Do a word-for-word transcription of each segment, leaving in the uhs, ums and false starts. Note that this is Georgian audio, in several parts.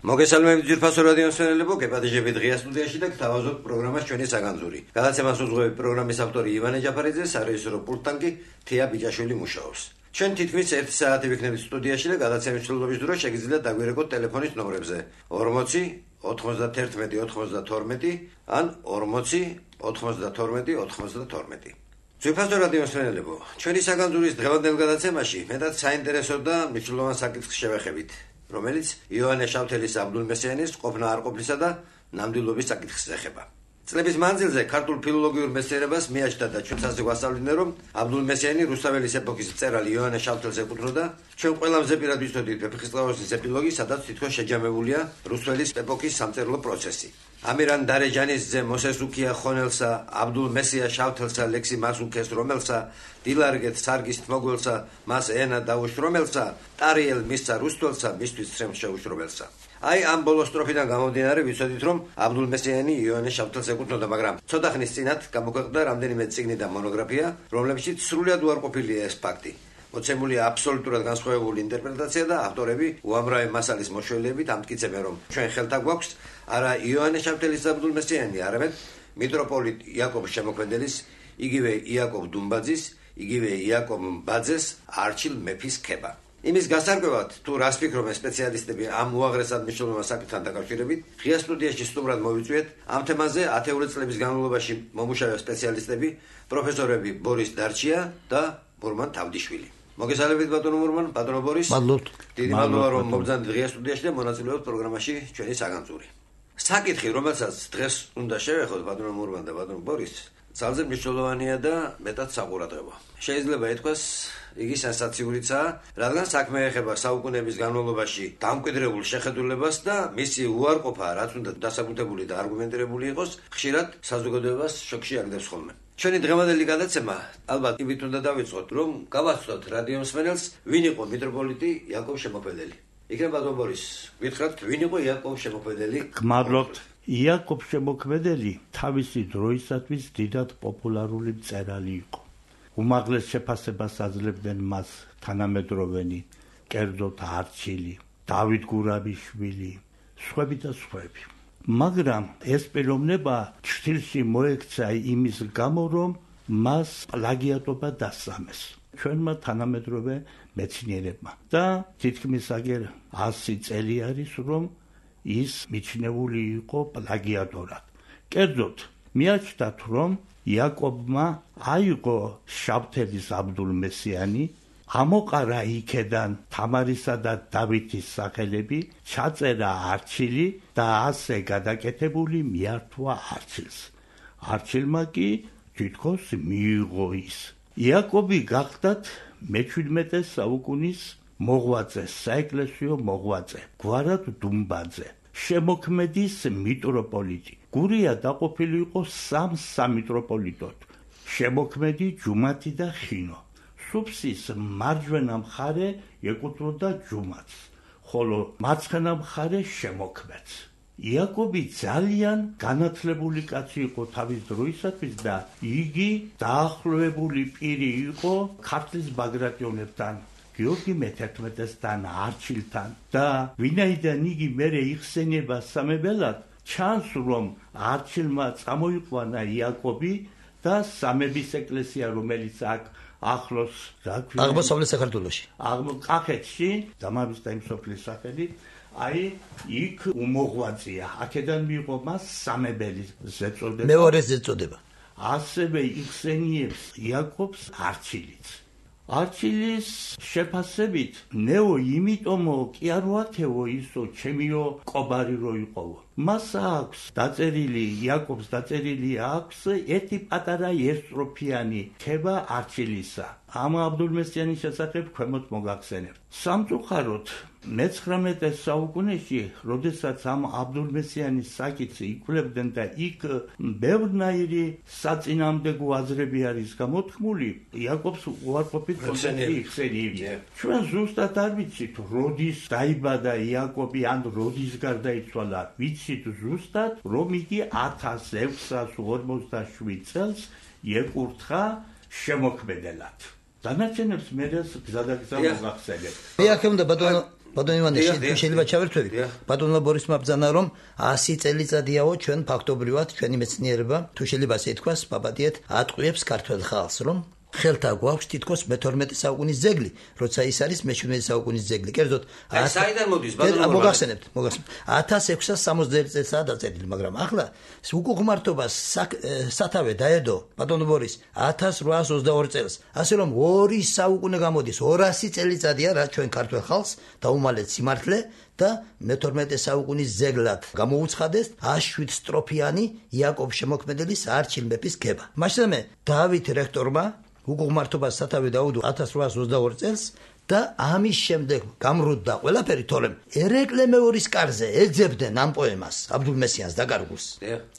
მოგესალმებით ძვირფასო რადიო მსმენელებო, გეპატიჟებით ღია სტუდიაში და გთავაზობთ პროგრამას ჩვენი საგანძური. გადაცემას უძღვებით პროგრამის ავტორი ივანე ჯაფარიძე, სარეჟისორო პულტთან კი თეა ბიჭაშვილი მუშაობს. ჩვენ თითქმის ერთი საათი ვიქნებით სტუდიაში და გადაცემის მსვლელობის დროს შეგიძლიათ დაგვირეკოთ ტელეფონის ნომრებზე ორმოცი ოთხმოცდათერთმეტი ოცდათორმეტი ან ორმოცი ოთხმოცდათორმეტი ოცდათორმეტი. ძვირფასო რადიო მსმენელებო, ჩვენი საგანძურის დღევანდელ გადაცემაში მეტად საინტერესო და მნიშვნელოვან საკითხს შევეხებით, რომელიც იოანე შავთელის აბდულმესიანის ყოფნა არ ყოფლისა და ნამდვილობის საკითხს ეხება. წლების მანძილზე ქართულ ფილოლოგიურ მეცნიერებას მიაჩნდა და ჩვენც გვასწავლინდნენ, რომ აბდულმესიანი რუსთაველის ეპოქის მწერალი იოანე შავთელს ეკუთვნოდა. ჩვენ ყველამ ზეპირად ვიცოდით ვეფხისტყაოსნის ეპილოგი, სადაც თითქოს შეჯამებულია რუსთაველის ეპოქის სამწერლო პროცესი. ამირან დარეჯანის ძე მოსესუქია ხონელსა, აბდულმესია შავთელსა ლექსი მას უქეს რომელსა, დილარგეთ სარგის თმოგველსა, მას ენა დაუშრომელსა, ტარიელ მისცა რუსთველსა, მისთვის ცრემლ შეუშრომელსა. აი ამ ბოლო სტროფიდან გამომდინარე ვიცოდით, რომ აბდულმესიანი იოანე შავთელს ეკუთვნოდა, მაგრამ ცოტა ხნის წინათ გამოქვეყნდა რამდენიმე წიგნი და მონოგრაფია, რომლებშიც სრულად უარყოფილია ეს ფაქტი. მოცემულია აბსოლუტურად განსხვავებული ინტერპრეტაცია და ავტორები უამრავი მასალის მოშველიებით ამტკიცებენ, რომ ჩვენ ხელთა გვაქვს არა იოანე შავთელის აბდულმესიანი, არამედ მიტროპოლიტ იაკობ შემოქმედებლის, იგივე იაკობ დუმბაძის, იგივე იაკობ ბაძეს არჩილ მეფის ქება. იმის გასარკვევად, თუ რას ფიქრობენ სპეციალისტები ამ უაღრესად მნიშვნელოვან საკითხთან დაკავშირებით, ღია სტუდიაში სტუმრად მოვიწვიეთ ამ თემაზე ათეული წლების განმავლობაში მომუშავე სპეციალისტები, პროფესორები ბორის დარჩია და მურმან თავდიშვილი. მოგესალმებით ბატონო მურმან, ბატონო ბორის. მადლობთ. დიდი მადლობა რომ მოგზავნით ღია სტუდიაში და მონაწილეობთ პროგრამაში ჩვენი საგანძური. საკითხი, რომელსაც დღეს უნდა შევეხოთ ბატონო მურმან და ბატონო ბორის, ძალზე მნიშვნელოვანია და მეტად საყურადღებო. შეიძლება ითქვას, იგი სენსაციურიცაა, რადგან საქმე ეხება საუკუნეების განმავლობაში დამკვიდრებულ შეხედულებას და მისი უარყოფა, რაც უნდა დასაბუთებული და არგუმენტირებული იყოს, ხშირად საზოგადოებას შოკში აგდებს ხოლმე. ჩვენი დღევანდელი გადაცემა ალბათ იმით უნდა დავიწყოთ, რომ გავაცნოთ რადიო მსმენელს, ვინ იყო მიტროპოლიტი იაკობ შემოქმედელი. იქნებ ბატონ ბორის, გითხრათ, ვინ იყო იაკობ შემოქმედელი? გმადლობთ. იაკობ შემოქმედელი თავისი დროისათვის დიდად პოპულარული მწერალი იყო. უმაღლეს შეფასებას აძლევდნენ მას თანამედროვენი, კერძოდ არჩილი, დავით გურამიშვილი, სხვები და სხვები. მაგრამ ეს პიროვნება ჩრდილში მოექცა იმის გამო, რომ მას პლაგიატობა დასამეს ჩვენმა თანამედროვე მეცნიერებმა და თითქმის აგერ ასი წელი არის, რომ ის მიჩნეული იყო პლაგიატორად. კერძოდ მიაჩნდათ, რომ იაკობმა აიღო შავთელის აბდულმესიანი, ამოყარა იქედან თამარისა და დავითის სახელები, ჩაწერა არჩილი და ასე გადაკეთებული მიართვა არჩილს. არჩილმა კი თითქოს მიიღო ის. იაკობი გახდათ მეჩვიდმეტე საუკუნის მოღვაწე, საეკლესიო მოღვაწე, გვარად დუმბაძე, შემოქმედის მიტროპოლიტი. გურია დაყოფილი იყო სამ სამიტროპოლიტოდ: შემოქმედი, ჯუმათი და ხინო. სუფსის მარჯვენა მხარე ეკუთვნოდა ჯუმათს, ხოლო მარცხენა მხარე შემოქმედს. იაკობი ძალიან განათლებული კაცი იყო თავის დროისათვის და იგი დაახლოებული პირი იყო ქართლის ბაგრატიონებთან, გიორგი მეთერთმეტესთან, არჩილთან და ვინაიდან იგი მერე იხსენება სამებელად, ჩანს რომ არჩილმა წამოიყვანა იაკობი და სამების ეკლესია, რომელიც აქ ახლოს აღმოსავლეთ საქართველოში, კახეთში, დამავის და იმ სოფლის სახელით, აი იქ უმოღვაწეა. აქედან მიიღო მას სამებელის ზეწოდება. მეორე ზეწოდება. ასევე იხსენიებს იაკობს არჩილიც. არჩილის შეფასებით ნეო იმიტომო კი არ ვაქეო ისო ჩემიო კობარი რო იყოვო. მას აქვს დაწერილი, იაკობს დაწერილი აქვს ერთი პატარა ერთსტროფიანი ქება არჩილისა. ამ აბდულმესიანის შესახებ ქვემოთ მოგახსენებთ. სამწუხაროდ მეცხრამეტე საუკუნეში, როდესაც ამ აბდულმესიანის საკითხი იკვლევდნენ და იქ ბევრნაირი საწინააღმდეგო აზრები არის გამოთქმული, იაკობს უარყოფით იხსენიებია. ჩვენ ზუსტად არ ვიცით, როდის დაიბადა იაკობი ან როდის გარდაიცვალა. ვიცით ზუსტად, რომ იგი ათას ექვსას ორმოცდაშვიდ წელს ეკურთხა შემოქმედელად. დანარჩენებს მე გზადაგზა მოგახსენებთ. მე აქ უნდა ბატონო ბატონო ივანე, შეიძლება ჩავერთვები. ბატონმა ბორისმა ბრძანა რომ ასი წელიწადიაო ჩვენ ფაქტობრივად ჩვენი მეცნიერება, თუ შეიძლება ასე ითქვას, პაპატიეთ ატყვიებს ქართულ ხალხს, რომ ხელთა გვაქვს თითქოს მეთორმეტე საუკუნის ძეგლი, როცა ის არის მეჩვიდმეტე საუკუნის ძეგლი. კერძოდ, აი საიდან მოდის ბატონო? მოგახსენებთ, მოგახსენებთ. ათას ექვსას სამოცდაერთი წელსაა დაწერილი, მაგრამ ახლა უკუღმართობას სათავე დაედო ბატონო ბორის ათას რვაას ოცდაორი წელს. ასე რომ ორი საუკუნე გამოდის, ორასი წელიწადია რა ჩვენ ქართულ ხალხს დაუმალეთ სიმართლე და მეთორმეტე საუკუნის ძეგლად გამოუცხადეს შვიდ სტროფიანი იაკობ შემოქმედებლის არჩილ მეფის ქება. მაშინდამე დავით რექტორმა უკუღმართობას სათავე დაუდო ათას რვაას ოცდაორი წელს და ამის შემდეგ გამრუდდა ყველაფერი, თორემ ერეკლე მეორის კარზე ეძებდნენ ამ პოემას აბდულ მესიანს დაკარგულს.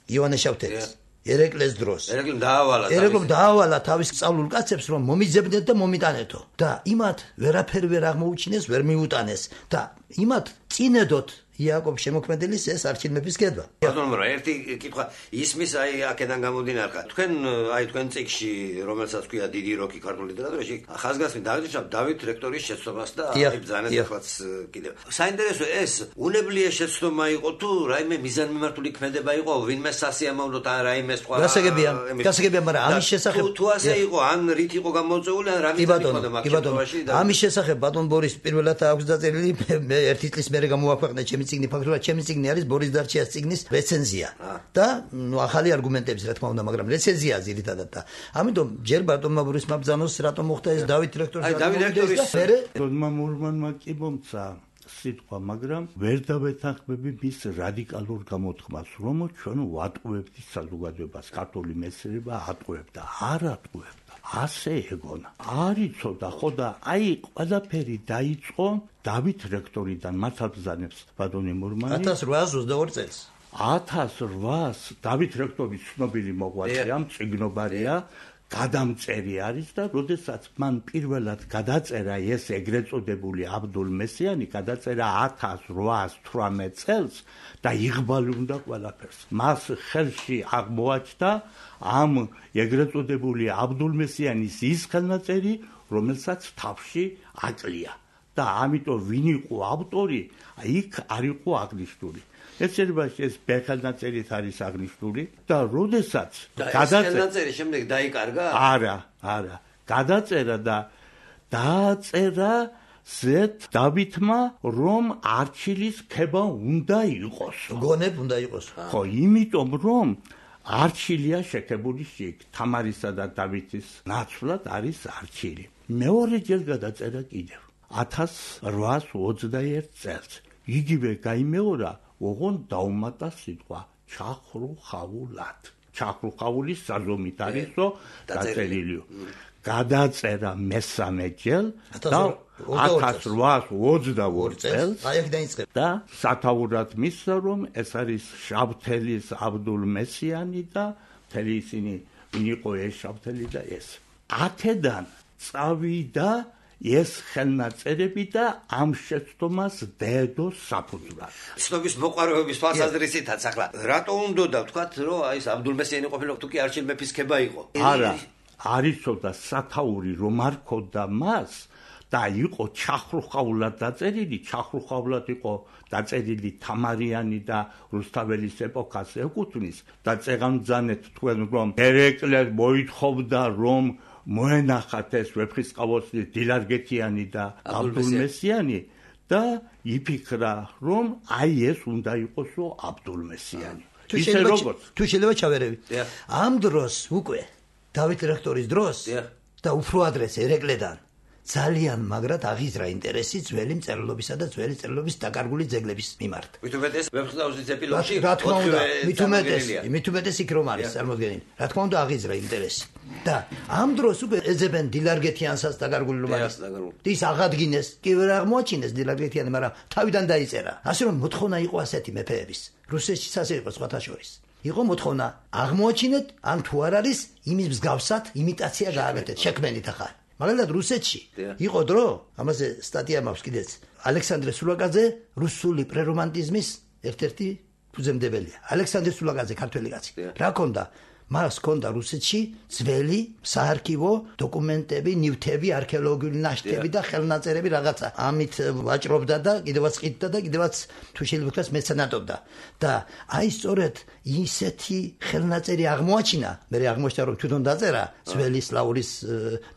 ივანე შავთელის ერეკლეს დროს. ერეკლემ დაავალა. ერეკლემ დაავალა თავის სწავლულ კაცებს რომ მომიძებნეთ და მომიტანეთო. და იმათ ვერაფერი ვერ აღმოუჩინეს, ვერ მიუტანეს და იმათ წინედოთ იაკობ შემოქმედებლის ეს არჩილ მეფის ქება. ბატონო, ერთი კითხვა ისმის აი აქედან გამომდინარე. თქვენ აი თქვენ წიგნში, რომელსაც ქვია დიდი როკი ქართულ ლიტერატურაში, ხაზგასმით დაგიჭირდა დავით რექტორის შეცდომას და აი ბრძანეს ახლაც კიდევ. საინტერესო ეს უნებლიე შეცდომა იყო თუ რაიმე მიზანმიმართული ქმედება იყო, ვინმე სასიამოვნოთ ან რაიმე სხვა. გასაგებია, გასაგებია, მაგრამ ამის შესახებ თუ ასე იყო, ან რით იყო გამოწეული, ან რა მიზანი იყო მაგაში. ამის შესახებ ბატონ ბორის პირველად აქვს დაწერილი, მე ერთი წლის მერე გამოაქვეყნე ჩემი წიგნი, ფაქტობრივად ჩემი წიგნი არის ბორის დარჩიას წიგნის რეცენზია და ნუ ახალი არგუმენტების რა თქმა უნდა, მაგრამ რეცენზია ძირითადად და ამიტომ ჯერ ბატონმა ბორისმა ბრძანოს რატომ მოხდა ეს დავით რექტორის აი დავით რექტორის მერე ბატონმა მურმანმა კი მომცა სიტყვა, მაგრამ ვერ დავეთანხმები მის რადიკალურ გამოთქმას, რომ ჩვენ ვატყუებთ საზოგადოებას, ქართული მეცნიერება ატყუებდა, არ ატყუებდა. ასე ეგონა. არ იცოდა ხო და აი ყველაფერი დაიწყო დავით რექტორიდან, მართალ ბრძანებს ბატონი მურმანი ათას რვაას ოცდაორი წელს. ათას რვაას დავით რექტორის ცნობილი მოღვაწეა, მწიგნობარია, გადამწერი არის და როდესაც მან პირველად გადაწერა ეს ეგრეთ წოდებული აბდულ მესიანი, გადაწერა ათას რვაას თვრამეტ წელს და იღბალუნდა ყველაფერს. მას ხელში აღმოაჩნდა ამ ეგრეთ წოდებული აბდულ მესიანის ის ხელნაწერი, რომელსაც თავში აკლია და ამიტომ ვინ იყო ავტორი, იქ არ იყო აღნიშნული. ეცერბაში ეს ბექალნაწერით არის აღნიშნული და როდესაც გადაწერა შემდეგ დაიკარგა? არა, არა. გადაწერა და დააწერა ზეთ დავითმა რომ არჩილის ქება უნდა იყოს. გონებ უნდა იყოს. ხო, იმიტომ რომ არჩილია შეკებული შიგ, თამარისა და დავითის ნაცვლად არის არჩილი. მეორე ჯერ გადაწერა კიდევ ათას რვაას ოცდაერთ წელს. იგივე გაიმეორა ოღონ დაუმატა სიტყვა ჩახრუხაულად. ჩახრუხაულის საზომით არის რომ დაწერილია. გადაწერა მესამე ჯერ და ათას რვაას ოცდაორი წელს და სათაურად მისცა რომ ეს არის შავთელის აბდულ მესიანი და მთელი ისინი ვინ იყო ეს შავთელი და ეს. აქედან წავიდა ეს ხელნაწერები და ამ შეცდომას დედო საფუძვლად. ცნობის მოყვარეობის თვალსაზრისითაც ახლა რატო უნდა ვთქვათ რომ აი ეს აბდულ მესიანი ყოფილიყო თუ კი არჩილ მეფის ქება იყო? არა, არ იცოდა სათაური რომ არ ქონდა მას და იყო ჩახრუხაულად დაწერილი, ჩახრუხაულად იყო დაწერილი თამარიანი და რუსთაველის ეპოქას ეკუთვნის და წეგამძანეთ თქვენ რომ ერეკლე მოითხოვდა რომ მოენახათ ეს ვეფხისტყაოსნის დილარგეთიანი და აბდულ მესიანი და იფიქრა რომ აი ეს უნდა იყოსო აბდულ მესიანი. ისე როგორც თუ შეიძლება ჩავერევი. ამ დროს უკვე დავით რექტორის დროს და უფრო ადრეს ერეკლედან ძალიან მაგრად აღიზრა ინტერესი ძველი მწერლობისა და ძველი წერლობის დაკარგული ძეგლების მიმართ. მით უმეტეს ვეფხისტყაოსნის ეპილოგში რა თქმა უნდა, მით უმეტეს, მით უმეტეს იქ რომ არის წარმოდგენილი. რა თქმა უნდა აღიზრა ინტერესი. და ამ დროს უკვე ეძებენ დილარგეთიანსაც დაკარგული რომ არის. ის აღადგინეს, კი ვერ აღმოაჩინეს დილარგეთიანი, მაგრამ თავიდან დაიწერა. ასე რომ მოთხოვნა იყო ასეთი მეფეების. რუსეთშიც ასე იყო სხვათა შორის. იყო მოთხოვნა აღმოაჩინეთ, ან თუ არ არის, იმის მსგავსად იმიტაცია გააკეთეთ, შექმენით ახლა. მაგალითად რუსეთში იყო დრო, ამაზე სტატია მაქვს კიდეც. ალექსანდრე სულაკაძე რუსული პრერომანტიზმის ერთ-ერთი ფუძემდებელია. ალექსანდრე სულაკაძე ქართველი კაცი. რა ქონდა? მას ჰქონდა რუსეთში ძველი საარქივო დოკუმენტები, ნივთები, არქეოლოგიური ნაშთები და ხელნაწერები რაღაცა. ამით ვაჭრობდა და კიდევაც ყიდდა და კიდევაც თუ შეიძლება ვთქვას მეცენატობდა. და აი სწორედ ისეთი ხელნაწერი აღმოაჩინა, მე აღმოჩნდა რომ თვითონ დაწერა ძველი სლავურის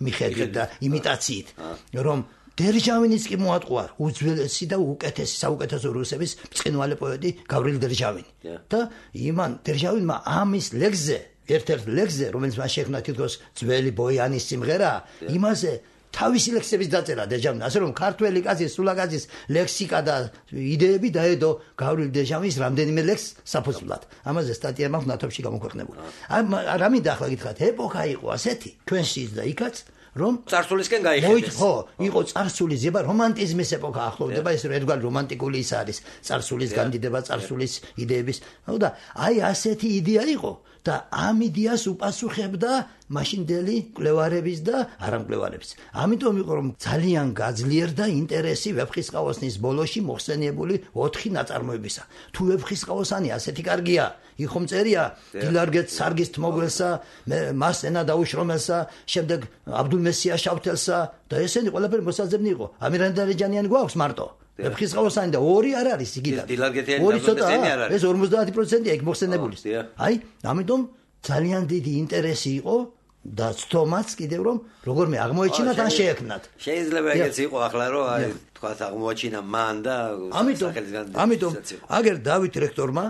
მიხედვით და იმიტაციით, რომ დერჟავინის კი მოატყუა უძველესი და უკეთესი საუკეთესო რუსების ბრწყინვალე პოეტი გავრილ დერჟავინი. და იმან დერჟავინმა ამის ლექსზე, ერთ-ერთ ლექსზე, რომელიც მას შექმნა თითქოს ძველი ბოიანის სიმღერა, იმაზე თავისი ლექსების დაწერა დერჟავინი, ასე რომ ქართველი კაცის, სულაკაცის ლექსიკა და იდეები დაედო გავრილ დერჟავინის რამდენიმე ლექსს საფუძვლად. ამაზე სტატია მაქვს ნათობში გამოქვეყნებული. რა მინდა ახლა გითხრათ, ეპოქა იყო ასეთი, ჩვენშიც და იქაც, რომ წარსულისკენ გაიხედეს. ხო, იყო წარსულის ზება, რომანტიზმის ეპოქა ახლოვდება, ეს ერთგვარი რომანტიკული ის არის, წარსულის განდიდება, წარსულის იდეების. და აი ასეთი იდეა იყო და ამ იდეას უპასუხებდა მაშინდელი მკვლევარების და არამკვლევარების. ამიტომ იყო რომ ძალიან გაძლიერდა ინტერესი ვეფხისტყაოსნის ბოლოში მოხსენიებული ოთხი ნაწარმოებისა. თუ ვეფხისტყაოსანი ასეთი კარგია, იხომ წერია დილარგეთ სარგის თმოგველსა, მას ენა დაუშრომელსა, შემდეგ აბდულმესია შავთელსა და ესენი ყველაფერი მოსაძებნი იყო. ამირანდარეჯანიანი გვაქვს მარტო. ვეფხისტყაოსანი და ორი არ არის იგიდან. ორი ცოტა ეს ორმოცდაათი პროცენტია იქ მოხსენებული. აი, ამიტომ ძალიან დიდი ინტერესი იყო და ცდომაც კიდევ რომ როგორმე აღმოეჩინათ ან შეექმნათ. შეიძლება ეგეც იყო ახლა რომ აი თქვა აღმოაჩინა მან და ამიტომ ამიტომ აგერ დავით რექტორმა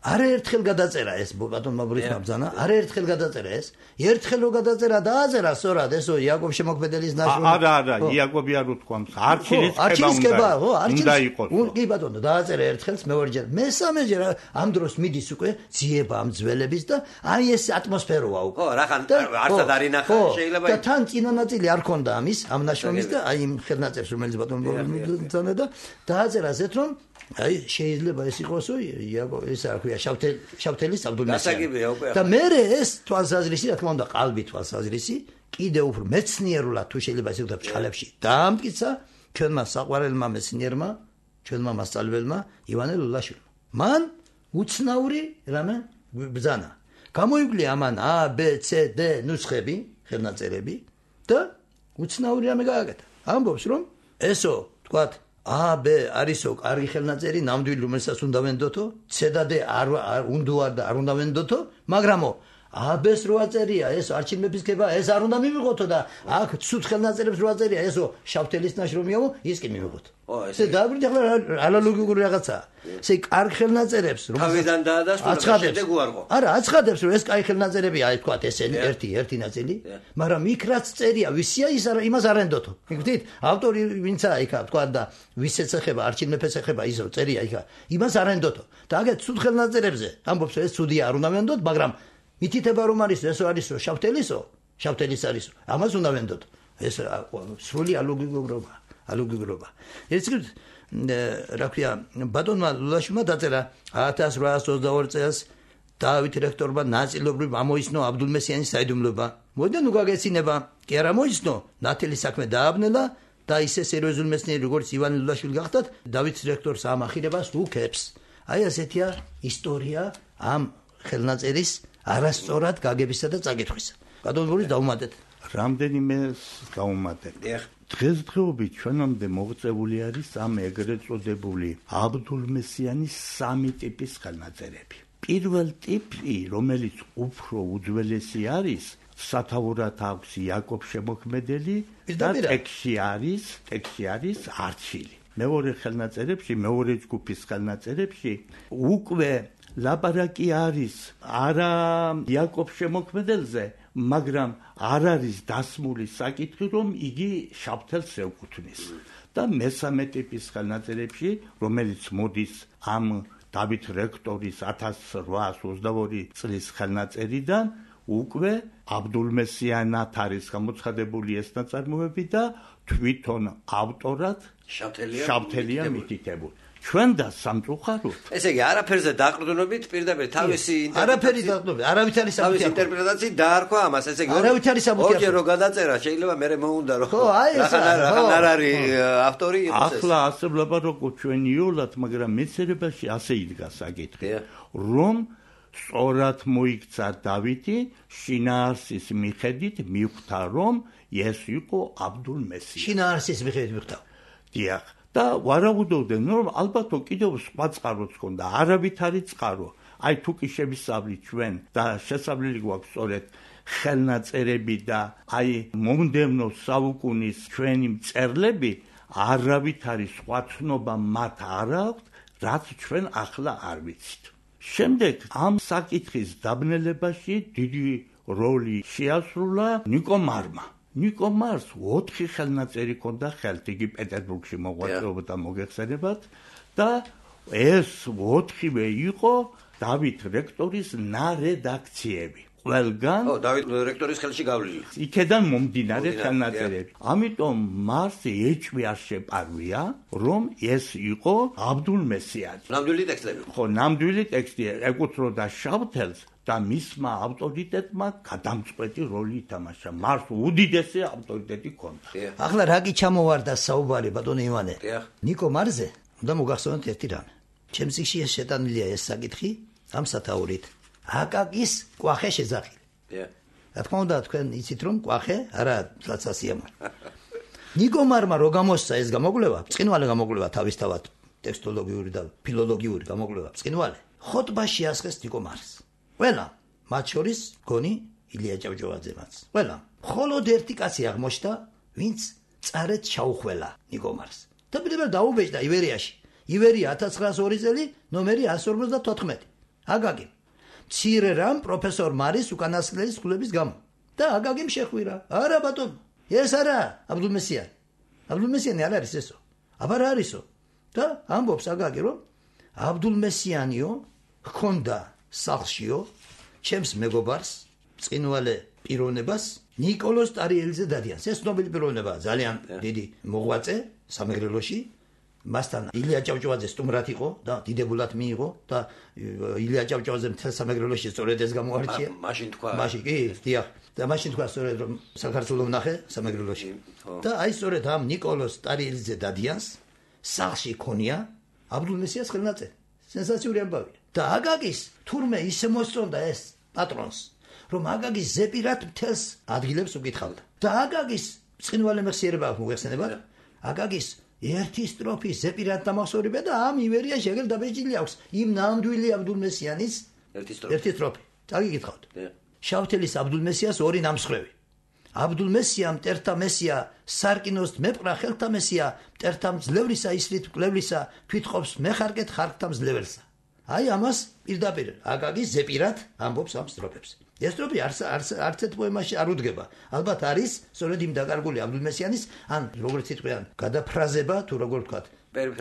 არაერთხელ გადაწერა ეს ბატონმა ბრისმა ბძანა, არაერთხელ გადაწერა ეს. ერთხელ რო გადაწერა დააწერა სწორად ესო იაკობ შემოქმედებლის ნაშრომი. არა, არა, იაკობი არ უთქვამს, არჩილის ხება უნდა. უნდა იყოს. კი ბატონო, დააწერა ერთხელს, მეორეჯერ. მესამეჯერ ამ დროს მიდის უკვე ძიება ამ ძველების და აი ეს ატმოსფეროა უკვე. ხო, რახან არცად არ ინახა, შეიძლება. და თან წინა ნაწილი არ ქონდა ამის, ამ ნაშრომის და აი იმ ხელნაწერს, რომელიც ბატონო ბძანა და დააწერა ასეთ რომ აი შეიძლება ეს იყოსო იაკო ეს არ ქვია შავთელის აბდულმესიანი და მე ეს თვალსაზრისი რა თქმა უნდა ყალბი თვალსაზრისი კიდევ უფრო მეცნიერულად თუ შეიძლება ისე ვთქვათ ჩხალებში დაამტკიცა ჩვენმა საყვარელმა მეცნიერმა ჩვენმა მასწავლებელმა ივანე ლულაშვილმა მან უცნაური რამე ბძანა გამოივლია ამან A B C D ნუსხები ხელნაწერები და უცნაური რამე გააკეთა ამბობს რომ ესო ვთქვათ A B არისო კარგი ხელნაწერი ნამდვილი რომელსაც უნდა ვენდოთო C და D არ უნდა და არ უნდა ვენდოთო მაგრამო A B-ს რო აწერია ეს არჩილ მეფისკება ეს არ უნდა მივიღოთო და აქ ცუდ ხელნაწერებს რო აწერია ესო შავთელის ნაშრომიაო ის კი მივიღოთო ესე დააბრუნდა ახლა ანალოგიური რაღაცა ესე კარგი ხელნაწერებს თავიდან დაადასტურა შედეგ უარყო არა აცხადებს რომ ეს კარგი ხელნაწერებია აი თქვა ესენი ერთი ერთი ნაწილი მაგრამ იქ რაც წერია ვისია ის იმას არ ენდოთო გიგდით ავტორი ვინცა იქა თქვა და ვის ეცეხება არჩილ მეფეს ეხება ის რო წერია იქა იმას არ ენდოთო და აგეთ ცუდ ხელნაწერებზე ამბობს ეს ცუდია არ უნდა ვენდოთ მაგრამ მითითება რომ არის ესო არისო შავთელისო შავთელის არისო ამას უნდა ვენდოთ ეს სრული ალოგიურობა ალოგიურობა ეს რა ქვია ბატონმა ლულაშვილმა დაწერა ათას რვაას ოცდაორი წელს დავით რექტორმა ნაწილობრივ ამოიცნო აბდულმესიანის საიდუმლოება მოდი ნუ გაგეცინება კი არა მოიცნო ნათელი საქმე დააბნელა და ისე სერიოზული მეცნიერი როგორც ივანე ლულაშვილი გახდათ დავით რექტორს ამ ახირებას უკებს აი ასეთია ისტორია ამ ხელნაწერის არასწორად გაგებისა და წაკითხვისა. გადაუნდურის დაუმატეთ. რამდენიმე გაუმატეთ. დღესდღეობით ჩვენამდე მოღწეული არის ამ ეგრეთ წოდებული აბდულმესიანის სამი ტიპის ხელნაწერები. პირველ ტიპი, რომელიც უფრო უძველესი არის, სათავურად აქვს იაკობ შემოქმედელი და ტექსტი არის, ტექსტი არის არჩილი. მეორე ხელნაწერებში, მეორე ჯგუფის ხელნაწერებში უკვე ლაპარაკი არის არა იაკობ შემოქმედელზე, მაგრამ არ არის დასმული საკითხი, რომ იგი შავთელს ეკუთვნის. და მესამე ტიპის ხელნაწერებში, რომელიც მოდის ამ დავით რექტორის ათას რვაას ოცდაორი წლის ხელნაწერიდან, უკვე აბდულმესიანად არის გამოცხადებული ეს ნაწარმოები და თვითონ ავტორად შავთელია მითითებული. ჩვენ და სამწუხაროდ ესე იგი არაფერზე დაყრდნობით პირდაპირ თავისი არაფერი დაყრდნობით არავით არის თავისი ინტერპრეტაცია დაარქვა ამას ესე იგი არავით არის საბუთი ორჯერ რო გადაწერა შეიძლება მე მეუნდა რომ რახან არ არის ავტორი ახლა ასებლება როგორ ჩვენ იოლად მაგრამ მეცერებაში ასე იდგა საკითხი რომ სწორად მოიქცა დავითი შინაარსის მიხედვით მიხვდა რომ ეს იყო აბდულ-მესია. შინაარსის მიხედვით მიხვდა. დიახ. და ვარაუდობდნენ რომ ალბათო კიდევ სხვა წყაროც ჰქონდა, არავითარი წყარო. აი თუ კი შევისწავლით ჩვენ და შესაძლებელი გვაქვს სწორედ ხელნაწერები და აი მომდევნო საუკუნის ჩვენი მწერლები, არავითარი სხვა ცნობა მათ არ აქვს, რაც ჩვენ ახლა არ ვიცით. შემდეგ ამ საკითხის დაბნელებაში დიდი როლი შეასრულა ნიკო მარმა. ნიკო მარს ოთხი ხელნაწერი ჰქონდა ხელთ, იგი პეტერბურგში მოღვაწეობდა მოგეხსენებათ და ეს ოთხივე იყო დავით რექტორის ნარედაქციები. ყველგან ო დავით რექტორის ხელში გავლილი. იქედან მომდინარე ხელნაწერები. ამიტომ მას ეჭვი არ შეპარვია, რომ ეს იყო აბდულ-მესიანი. ნამდვილი ტექსტები. ხო, ნამდვილი ტექსტი ეკუთვნოდა შავთელს და მისმა ავტორიტეტმა გადამწყვეტი როლი ითამაშა. მას უდიდესი ავტორიტეტი ჰქონდა. ახლა რა კი ჩამოვარდა საუბარი ბატონო ივანე? დიახ. ნიკო მარზე უნდა მოგახსოვოთ ერთი რამე. ჩემს წიგნში შეტანილია ეს საკითხი ამ სათაურით. აკაკის კვახე შეძახილი. დიახ. რა თქმა უნდა თქვენ იცით რომ კვახე არა საცასიამოვნო. ნიკო მარმა რო გამოსცა ეს გამოკვლევა, ბრწყინვალე გამოკვლევა თავისთავად ტექსტოლოგიური და ფილოლოგიური გამოკვლევა ბრწყინვალე. ხოტბაში ასხეს ნიკო მარს. ყველა, მათ შორის გონი ილია ჭავჭავაძემაც. ყველა. მხოლოდ ერთი კაცი აღმოჩნდა, ვინც წარეთ ჩაუხველა ნიკო მარს. და პირველად დაუბეჭდა ივერიაში. ივერია ათას ცხრაას ორი წელი, ნომერი ასი ორმოცდათოთხმეტი. აკაკი. მცირე რამ პროფესორ მარის უკანასკნელი სკოლების გამო. და აკაკიმ შეხვირა. არა ბატონო, ეს არა აბდულ-მესიანი. აბდულ-მესიანი არ არის ესო. აბა რა არისო? და ამბობს აკაკი რომ აბდულ-მესიანიო ჰქონდა სახლშიო ჩემს მეგობარს ბრწყინვალე პიროვნებას ნიკოლოზ ტარიელიძე დადიანს. ეს ცნობილი პიროვნებაა, ძალიან დიდი მოღვაწე სამეგრელოში. მასთან ილია ჭავჭავაძე სტუმრად იყო და დიდებულად მიიღო და ილია ჭავჭავაძე მთელ სამეგრელოში სწორედ ეს გამოარჩია. მაშინ თქვა. მაშინ კი, დიახ. და მაშინ თქვა სწორედ რომ საქართველოს ვნახე სამეგრელოში. და აი სწორედ ამ ნიკოლოზ ტარიელიძე დადიანს სახლში ქონია აბდულ-მესიას ხელნაწერი. სენსაციური ამბავია. და აკაკის თურმე ისე მოსწონდა ეს პატრონს, რომ აკაკის ზეპირად მთელს ადგილებს უკითხავდა. და აკაკის ბრწყინვალე მეხსიერება აქვს მოგეხსენებათ? აკაკის ერთი სტროფის ზეპირად დამახსოვრება და ამ ივერიაში ეგრე დაბეჭდილი აქვს იმ ნამდვილი აბდულ-მესიანის ერთი სტროფი. ერთი სტროფი. წაგიგითხავთ. შავთელის აბდულ-მესიას ორი ნამსხვრევი. აბდულ-მესია მტერთა მესია, სარკინოს მეპყრა ხელთა მესია, მტერთა მძლევრისა ისრით მკვლევლისა, თვითყოფს მეხარკეთ ხარკთა მძლეველსა. აი ამას პირდაპირ აკაკის ზეპირად ამბობს ამ სტროფებს. ეს სტროფი არც არც ერთ პოემაში არ უდგება. ალბათ არის სწორედ იმ დაკარგული აბდულ-მესიანის ან როგორც იტყვიან, გადაფრაზება თუ როგორ ვთქვათ,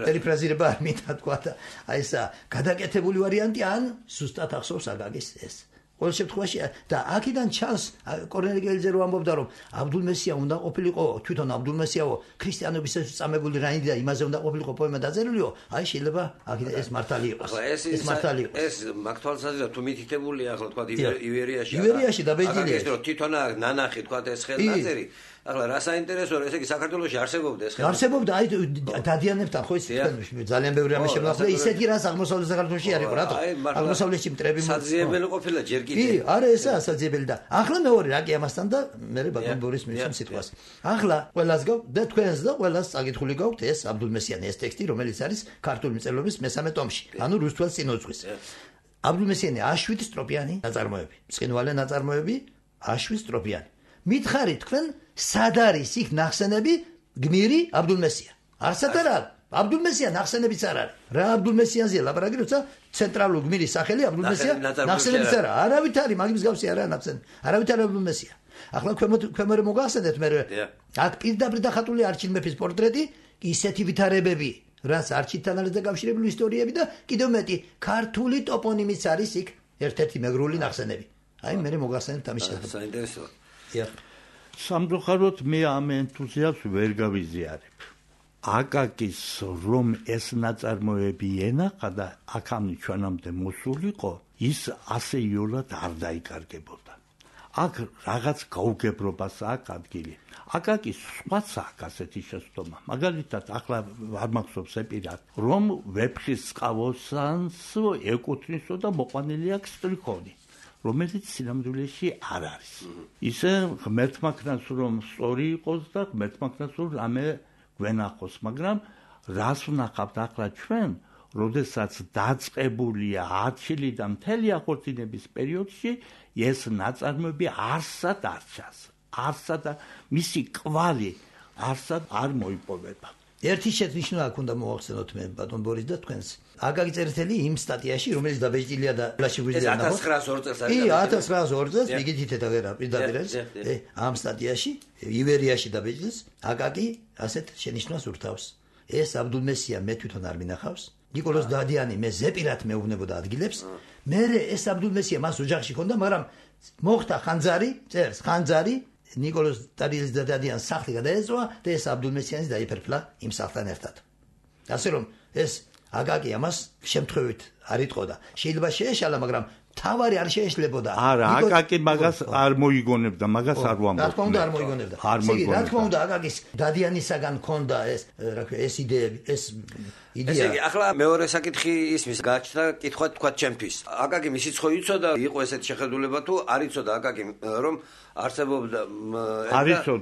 პერიფრაზირება არ მინდა თქვა და აი ესა გადაკეთებული ვარიანტი ან ზუსტად ახსოვს აკაკის ეს. ყოველ შემთხვევაში და აქედან ჩანს კორნელიკელიძე რო ამბობდა რომ აბდულ-მესია უნდა ყოფილიყო თვითონ აბდულ-მესიაო ქრისტიანობის წამებული რაინდი და იმაზე უნდა ყოფილიყო პოემა დაძერულიო, აი შეიძლება აქედან ეს მართალი იყოს. ეს მართალი იყოს. ეს მართალსაზრდად თუ მითითებულია ახლა თქვა ივერიაში. ივერიაში დაბეჭდილია. ეს რომ თვითონ ნანახი თქვა ეს ხელნაწერი. ახლა რა საინტერესოა, ესე იგი საქართველოში არსებობდა ეს ხელნაწერი. არსებობდა, აი დადიანებთან ხო იცით ძალიან ბევრი რამე შემოხდა, ისეთი რას აღმოსავლეთ საქართველოში არ იყო, რატო? აღმოსავლეთში მტრები საძიებელი ყოფილა ჯერ კიდე. კი, არა ესაა საძიებელი და ახლა მეორე რა კი ამასთან და მე ბატონ ბორის მისვამ სიტყვას. ახლა ყველას გაქვთ და თქვენს და ყველას წაკითხული გაქვთ ეს აბდულ-მესიანი ეს ტექსტი, რომელიც არის ქართული მწერლობის მესამე ტომში, ანუ რუსთველ წინოძღვის. აბდულ-მესიანი აშვით სტროფიანი ნაწარმოები, ბრწყინვალე ნაწარმოები, აშვით სტროფიანი. მითხარით თქვენ სად არის იქ ნახსენები გმირი აბდულ-მესია? არსად არა. აბდულ-მესია ნახსენებიც არ არის. რა აბდულ-მესიანზეა ლაპარაკი, როცა ცენტრალური გმირის სახელი აბდულ-მესია ნახსენებიც არა. არავით არის, მაგის მსგავსი არა ნახსენები. არავით არ აბდულ-მესია. ახლა ქვემოთ მოგახსენეთ მე აქ პირდაპირ დახატული არჩილ მეფის პორტრეტი, ისეთი ვითარებები, რაც არჩილთან არის დაკავშირებული ისტორიები და კიდევ მეტი ქართული ტოპონიმიც არის იქ ერთ-ერთი მეგრული ნახსენები. აი მე მოგახსენებთ ამის შესახებ. საინტერესოა. სამწუხაროდ მე ამ ენთუზიაზმს ვერ გავიზიარებ. აკაკის რომ ეს ნაწარმოები ენახა და აქამდე ჩვენამდე მოსულიყო, ის ასე იოლად არ დაიკარგებოდა. აქ რაღაც გაუგებრობასაა ადგილი. აკაკის სხვაცაა ასეთი შეცდომა. მაგალითად, ახლა არ მახსოვს ეპირად, რომ ვეფხის წყავოსანს ეკუთვნისო და მოყვანილი აქვს სტრიქონი, რომელიც სინამდვილეში არ არის. ისე ღმერთმა ქნას რომ სწორი იყოს და ღმერთმა ქნას რომ რამე გვენახოს, მაგრამ რას ვნახავთ ახლა ჩვენ, როდესაც დაწყებულია არჩილი და მთელი ახორციელების პერიოდში ეს ნაწარმოები არსად არ ჩანს. არსად მისი კვალი არსად არ მოიპოვება. ერთი შენიშვნა უნდა მოვახსენოთ მე ბატონ ბორის და თქვენს. აკაკი წერეთელი იმ სტატიაში, რომელიც დაბეჭდილია და ლაში გვიძლია ნახოთ. ათას ცხრაას ორ წელს არის. კი, ათას ცხრაას ორ წელს მიგითით და პირდაპირ არის. ამ სტატიაში ივერიაში დაბეჭდილს აკაკი ასეთ შენიშვნას ურთავს. ეს აბდულმესია მე თვითონ არ მინახავს. ნიკოლოზ დადიანი მე ზეპირად მეუბნებოდა ადგილებს. მე ეს აბდულმესია მას ოჯახში ჰქონდა, მაგრამ მოხდა ხანძარი, წერს ხანძარი ნიკოლოზ დადიანის და დადიანის სახლი გადაეწვა და ეს აბდულმესიანის დაიფერფლა იმ სახლთან ერთად. ასე რომ ეს აკაკი ამას შემთხვევით არ იტყოდა. შეიძლება შეეშალა, მაგრამ თავარი არ შეეშლებოდა. არა, აკაკი მაგას არ მოიგონებდა, მაგას არ ვამბობ. რა თქმა უნდა არ მოიგონებდა. არ მოიგონებდა. რა თქმა უნდა აკაკის დადიანისაგან ჰქონდა ეს რა ქვია ეს იდეები, ეს იდეა. ესე იგი, ახლა მეორე საკითხი ისმის გაჩნდა კითხვა თქვა ჩემთვის. აკაკი მისი ხო იცოდა, იყო ესეთ შეხედულება თუ არ იცოდა აკაკი რომ არსებობდა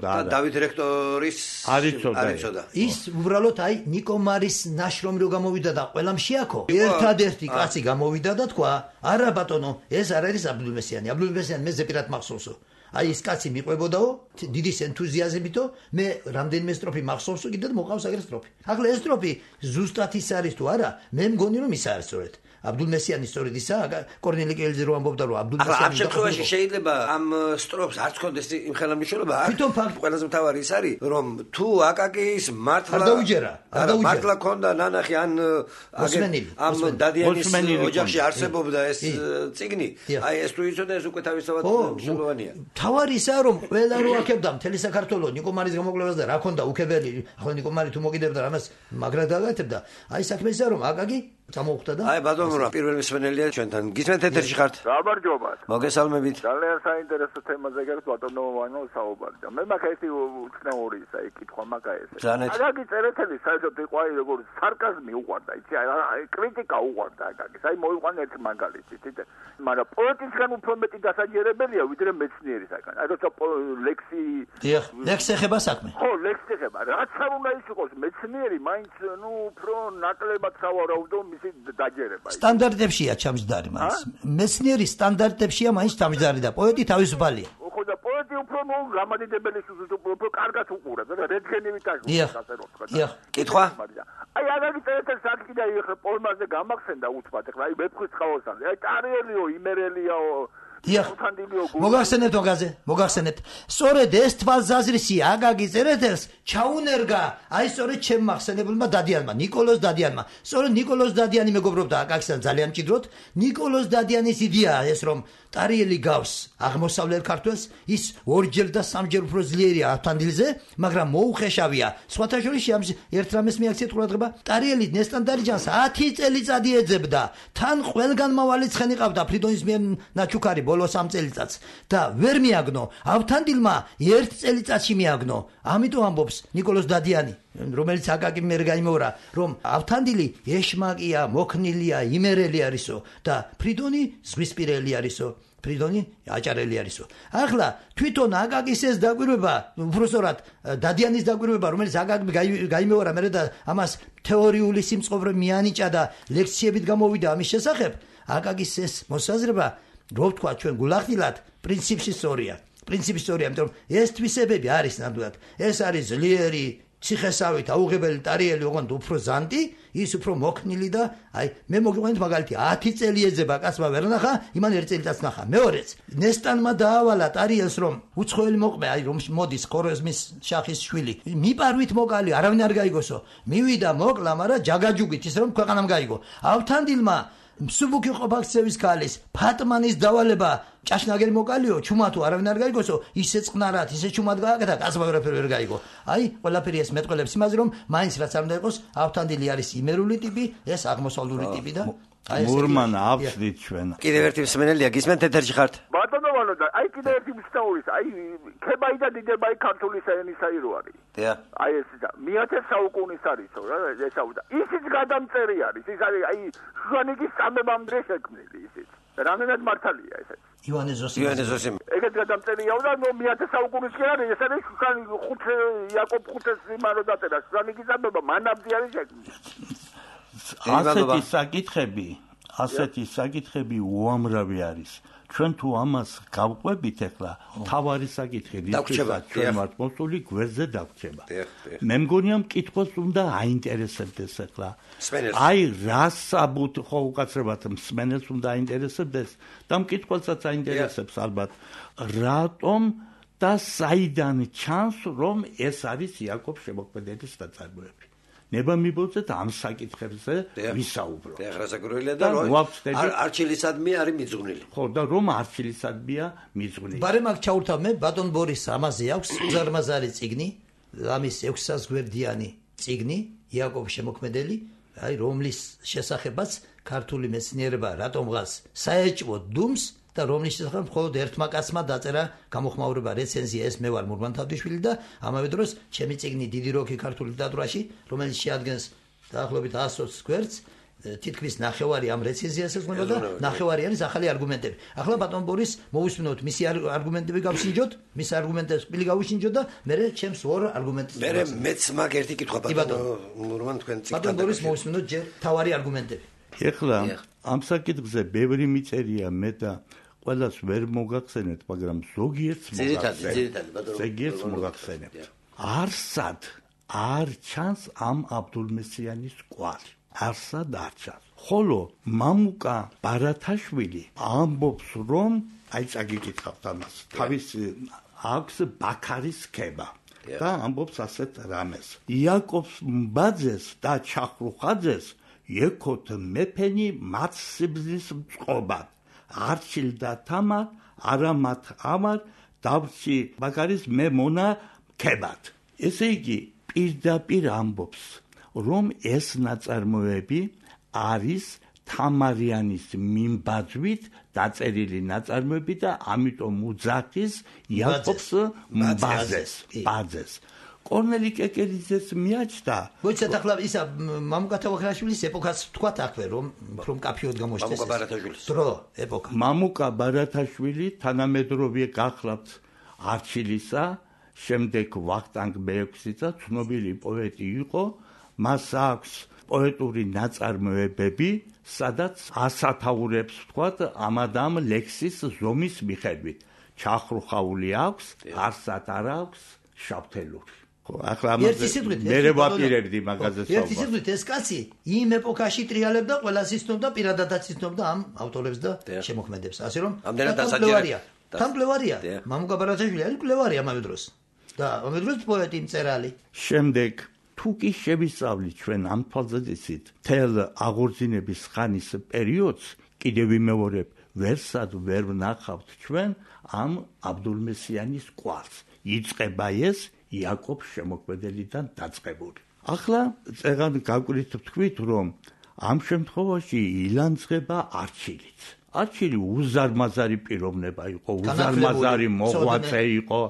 და დავით რექტორის არ იცოდა. ის უბრალოდ აი ნიკომარის ნაშრომი რო გამოვიდა და ყველამ შეაქო. ერთადერთი კაცი გამოვიდა და თქვა, არა ბატონო, ეს არ არის აბდულმესიანი. აბდულმესიანი მე ზეპირად მახსოვსო. აი ეს კაცი მიყვებოდაო დიდი ენთუზიაზმითო, მე რამდენიმე სტროფი მახსოვსო კიდე მოყავს აგერ სტროფი. ახლა ეს სტროფი ზუსტად ის არის თუ არა, მე მგონი რომ ის არის სწორედ. აბდულმესიანი სწორედ ისა, კორნელი კელძე რო ამბობდა რომ აბდულმესიანი. ახლა ამ შემთხვევაში შეიძლება ამ სტროფს არც ქონდეს იმ ხელმისაწვდომობა. თვითონ ფაქტი ყველაზე მთავარი ის არის, რომ თუ აკაკის მართლა არ დაუჯერა, არ დაუჯერა. მართლა ქონდა ნანახი ან ამ დადიანის ოჯახში არსებობდა ეს წიგნი, აი ეს თუ იცოდა ეს უკვე თავისთავად მნიშვნელოვანია. თავარი ისაა რომ ყველა რო აქებდა მთელი საქართველოს ნიკომარის გამოკვლევას და რა ქონდა უქებელი, ახლა ნიკომარი თუ მოგიდებდა რამას მაგრად დაგაკეთებდა. აი საქმე ისაა რომ აკაკი გამოხდა და აი ბატონო პირველი მსმენელია ჩვენთან გისმენთ ეთერში ხართ გამარჯობათ მოგესალმებით ძალიან საინტერესო თემაზე გერს ბატონო ვანო საუბარი და მე მაგა ერთი უცნაური ისა კითხვა მაგა ეს აკაკი წერეთელი საერთოდ იყო აი როგორ სარკაზმი უყვარდა იცი აი კრიტიკა უყვარდა აკაკის აი მოიყვანა ერთი მაგალითი თითე მაგრამ პოეტისგან უფრო მეტი დასაჯერებელია ვიდრე მეცნიერისგან აი როცა ლექსი დიახ ლექსი ეხება საქმე ხო ლექსი ეხება რაც არ უნდა ის იყოს მეცნიერი მაინც ნუ უფრო ნაკლებად სავარაუდო დაჯერება. სტანდარტებშია ჩამჯდარი მას. მეცნიერი სტანდარტებშია მაინც ჩამჯდარი და პოეტი თავისუფალია. ხო და პოეტი უფრო ნუ გამადიდებელი უფრო კარგად უყურებს და რედგენივით აღწევს ასე რომ თქვა. დიახ. კითხვა? აი აკაკი წერეთელს აქ კიდე ეხლა პოლმაზე გამახსენდა უთმად ეხლა აი ვეფხვის წყალოსანზე. აი ტარიელიო, იმერელიაო დიახ. მოგახსენებთ მაგაზე, მოგახსენებთ. სწორედ ეს თვალსაზრისი აკაკი წერეთელს ჩაუნერგა აი სწორედ ჩემ მახსენებელმა დადიანმა, ნიკოლოზ დადიანმა. სწორედ ნიკოლოზ დადიანი მეგობრობდა აკაკისთან ძალიან მჭიდროდ. ნიკოლოზ დადიანის იდეაა ეს რომ ტარიელი გავს აღმოსავლელ ქართველს, ის ორჯერ და სამჯერ უფრო ძლიერია ავთანდილზე, მაგრამ მოუხეშავია. სხვათა შორის ერთ რამეს მიაქციეთ ყურადღება, ტარიელი ნესტანდარიჯანს ათი წელიწადი ეძებდა. თან ყველგან მავალი ცხენი ყავდა ფრიდონის მიერ ნაჩუქარი ბოლოს ამ წელიწადს და ვერ მიაგნო. ავთანდილმა ერთ წელიწადში მიაგნო. ამიტომ ამბობს ნიკოლოზ დადიანი, რომელიც აკაკი მიერ გაიმეორა, რომ ავთანდილი ეშმაკია, მოქნილია, იმერელი არისო და ფრიდონი ზღვისპირელი არისო. ფრიდონი აჭარელი არისო. ახლა თვითონ აკაკის ეს დაკვირვება, უბრალოდ დადიანის დაკვირვება, რომელიც აკაკი გაიმეორა მერე და ამას თეორიული სიმწყობრე მიანიჭა და ლექციებით გამოვიდა ამის შესახებ, აკაკის ეს მოსაზრება რო ვთქვა ჩვენ გულახდილად პრინციპში სწორია. პრინციპში სწორია, იმიტომ რომ ეს თვისებები არის ნამდვილად. ეს არის ძლიერი ციხესავით აუღებელი ტარიელი, ოღონდ უფრო ზანტი, ის უფრო მოქნილი და აი მე მოგიყვანეთ მაგალითი ათი წელი ეძება კაცმა ვერ ნახა, იმან ერთ წელიწადს ნახა. მეორეც ნესტანმა დაავალა ტარიელს რომ უცხოელი მოყმე, აი რომ მოდის ხორეზმის შახის შვილი. მიპარვით მოკალი, არავინ არ გაიგოსო. მივიდა მოკლა, მაგრამ ჯაგაჯუგით ის რომ ქვეყანამ გაიგო. ავთანდილმა მსუბუქი ყოფაქცევის ქალის ფატმანის დავალება ჭაშნაგერი მოკალიო, ჩუმა თუ არავინ არ გაიგოსო, ისე წყნარად, ისე ჩუმად გააკეთა, კაცმა ვერაფერი ვერ გაიგო. აი, ყველაფერი ეს მეტყველებს იმაზე, რომ მაინც რაც არ უნდა იყოს, ავთანდილი არის იმერული ტიპი, ეს აღმოსავლური ტიპი და მურმან აბსდით ჩვენ. კიდევ ერთი მსმენელია, გისმენთ ეთერში ხართ? ბატონო ვანო და აი კიდევ ერთი მსნაურის, აი ქებაი და დიდებაი ქართული ენისაი რო არის. დიახ. აი ეს და მეათე საუკუნის არისო რა ესაუდა. ისიც გადამწერი არის. ის არის აი შუანიკის წამებამდე შექმნილი ისიც. რამდენად მართალია ესეც? ივანე ზოსიმ. ივანე ზოსიმ. ეგეთ გადამწერია და ნუ მეათე საუკუნის კი არის ეს არის შუანი ხუთე იაკობ ხუთეს იმანო დაწერა შუანიკის წამება მანამდე არის შექმნილი. ასეთი საკითხები, ასეთი საკითხები უამრავი არის. ჩვენ თუ ამას გავყვებით ახლა, თავარი საკითხი რითაც ჩვენ ვართ მოსული გვერდზე დაგვრჩება. მე მგონია მკითხოს უნდა აინტერესებდეს ახლა. აი რა საბუთ ხო უკაცრებად მსმენელს უნდა აინტერესებდეს და მკითხველსაც აინტერესებს ალბათ. რატომ და საიდან ჩანს რომ ეს არის იაკობ შემოქმედების ნაწარმოები? ნება მიბოძეთ ამ საკითხებზე ვისაუბრო. და აღრასაკურველია და არჩილისადმი არის მიძღვნილი. ხო და რომ არჩილისადმია მიძღვნილი. ბარემ აქ ჩაურთავ მე ბატონ ბორის ამაზე აქვს უზარმაზარი წიგნი, ამის ექვსი საათს გვერდიანი წიგნი, იაკობ შემოქმედელი, აი რომლის შესახებაც ქართული მეცნიერება რატომღაც საეჭვო დუმს და რომლის შესახებ მხოლოდ ერთმა კაცმა დაწერა გამოხმაურება რეცენზია ეს მე ვარ მურმან თავდიშვილი და ამავე დროს ჩემი წიგნი დიდი როკი ქართული ლიტერატურაში რომელიც შეადგენს დაახლოებით ას გვერდს თითქმის ნახევარი ამ რეცენზიას ეხება და ნახევარი არის ახალი არგუმენტები. ახლა ბატონ ბორის მოვუსმინოთ მისი არგუმენტები გავშინჯოთ, მის არგუმენტებს პირი გავუშინჯოთ და მე ჩემს ორ არგუმენტს მე მეც მაგ ერთი კითხვა ბატონო მურმან თქვენ წიგნთან ბატონ ბორის მოვუსმინოთ ჯერ თავარი არგუმენტები. ეხლა ამ საკითხზე ბევრი მიწერია მე და ყველას ვერ მოგახსენეთ, მაგრამ ზოგიერთს მოგახსენებთ. ზოგიერთს მოგახსენებთ. არსად არ ჩანს ამ აბდულმესიანის კვალი. არსად არ ჩანს. ხოლო მამუკა ბარათაშვილი ამბობს რომ აი წაგიკითხავთ ამას. თავის აქვს ბაქარის ქება და ამბობს ასეთ რამეს. იაკობს მბაძეს და ჩახრუხაძეს ეკოთ მეფენი მათ სიბზის წყობად. არჩილ და თამარ არამათ ამარ დავში ბაქარის მე მონა ქებად. ესე იგი პირდაპირ ამბობს რომ ეს ნაწარმოები არის თამარიანის მიმბაძვით დაწერილი ნაწარმოები და ამიტომ უძახის იაკობს მბაძეს ბაძეს. კორნელი კეკელიძეს მიაჩნდა. მოიცათ ახლა ისა მამუკა თაოხაშვილის ეპოქას თქვათ აქვე რომ რომ კაფიოდ გამოჩნდეს. მამუკა ბარათაშვილის დრო ეპოქა. მამუკა ბარათაშვილი თანამედროვე გახლავთ არჩილისა, შემდეგ ვახტანგ მეექვსიცა ცნობილი პოეტი იყო. მას აქვს პოეტური ნაწარმოებები, სადაც ასათაურებს თქვათ ამადამ ლექსის ზომის მიხედვით. ჩახრუხაული აქვს, არსად არ აქვს შავთელური. ახლა ამაზე მე ვაპირებდი მაგაზე საუბარს. ერთი სიტყვით ეს კაცი იმ ეპოქაში ტრიალებდა, ყველას იცნობდა, პირადადაც იცნობდა ამ ავტორებს და შემოქმედებს. ასე რომ ამდენად თამბლევარია. მამუკა ბარათაშვილი არის მკვლევარი ამავე დროს. და ამავე დროს პოეტი მწერალი. შემდეგ თუ კი შევისწავლით ჩვენ ამ თვალსაზრისით თელ აღორძინების ხანის პერიოდს, კიდევ ვიმეორებ, ვერსად ვერ ვნახავთ ჩვენ ამ აბდულმესიანის კვალს. იწყება ეს იაკობ შემოქმედელიდან დაწყებული. ახლა წეგან გავკვირით თქვით რომ ამ შემთხვევაში ილანძღება არჩილიც. არჩილი უზარმაზარი პიროვნება იყო, უზარმაზარი მოღვაწე იყო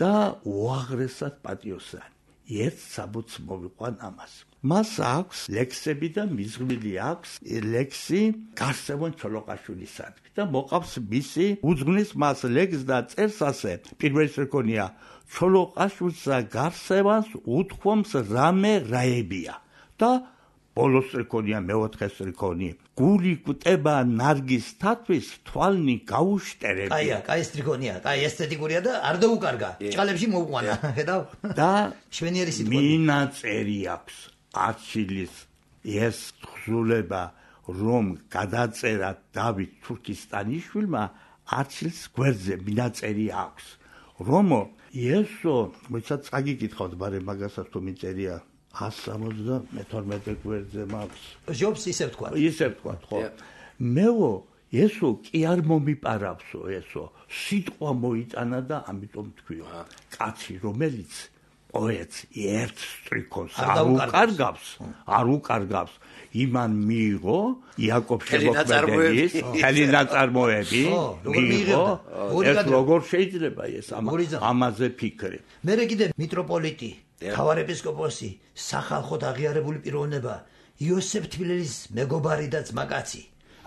და უაღრესად პატიოსანი. ერთ საბუთს მოვიყვან ამას. მას აქვს ლექსები და მიზღვნილი აქვს ლექსი გარსევან ჩოლოყაშვილისადმი და მოყავს მისი უძღვნის მას ლექსს და წერს ასე. პირველი რეკონია ჩოლოყაშვილსა გარსევანს უთქვამს რამე რაებია და ბოლოს რეკონია მეოთხეს რეკონი გული კვტება ნარგის თათვის თვალნი გაუშტერები. კაია, კაი ეს რეკონია, კაი ესთეტიკურია და არ დაუკარგა. ჭყალებში მოუყვანა, ხედავ? და შვენიერი სიტყვა. მინაწერი აქვს არჩილის ეს თხზულება რომ გადაწერა დავით თურქისტანიშვილმა არჩილს გვერდზე მინაწერი აქვს. რომო ესო მოიცათ წაგიკითხავთ ბარე მაგასაც თუ მიწერია ას სამოცდამეთორმეტე გვერდზე მაქვს. ჟობს ისე თქვა. ისე თქვა, ხო. მეო ესო კი არ მომიპარავსო ესო. სიტყვა მოიტანა და ამიტომ თქვიო. კაცი რომელიც პოეტს ერთ სტრიქონს არ უკარგავს, არ უკარგავს. იმან მიიღო იაკობ შემოქმედებლის მთელი ნაწარმოები, მიიღო. ეს როგორ შეიძლება ეს ამაზე ფიქრი? მერე კიდე მიტროპოლიტი, მთავარეპისკოპოსი, სახალხოდ აღიარებული პიროვნება, იოსებ თბილელის მეგობარი და ძმაკაცი.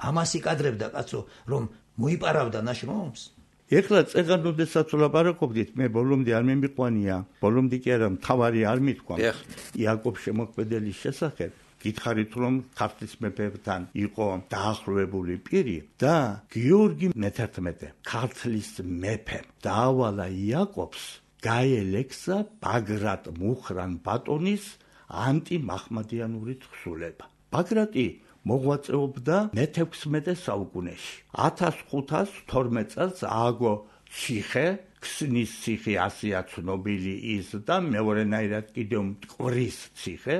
ამას იკადრებდა კაცო, რომ მოიპარავდა ნაშრომს. ეხლა წეგან როდესაც ვლაპარაკობდით, მე ბოლომდე არ მემიყვანია, ბოლომდე კი არა, მთავარი არ მithქვა. იაკობ შემოქმედებლის შესახებ გითხარით რომ ქართლის მეფებთან იყო დაახლოებული პირი და გიორგი მეთერთმეტე ქართლის მეფემ დაავალა იაკობს გაელექსა ბაგრატ მუხრან ბატონის ანტიმაჰმადიანური თხზულება. ბაგრატი მოღვაწეობდა მეთექვსმეტე საუკუნეში. ათას ხუთას თორმეტ წელს ააგო ციხე, ქსნის ციხე, ასეა ცნობილი ის და მეორენაირად კიდევ მტკვრის ციხე.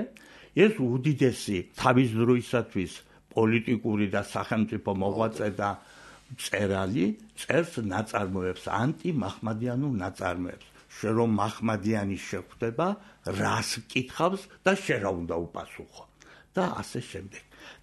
ეს უდიდესი თავის დროისათვის პოლიტიკური და სახელმწიფო მოღვაწე და მწერალი წერს ნაწარმოებს, ანტიმაჰმადიანურ ნაწარმოებს. შენ რომ მაჰმადიანი შეხვდება, რას კითხავს და შენ რა უნდა უპასუხო და ასე შემდეგ.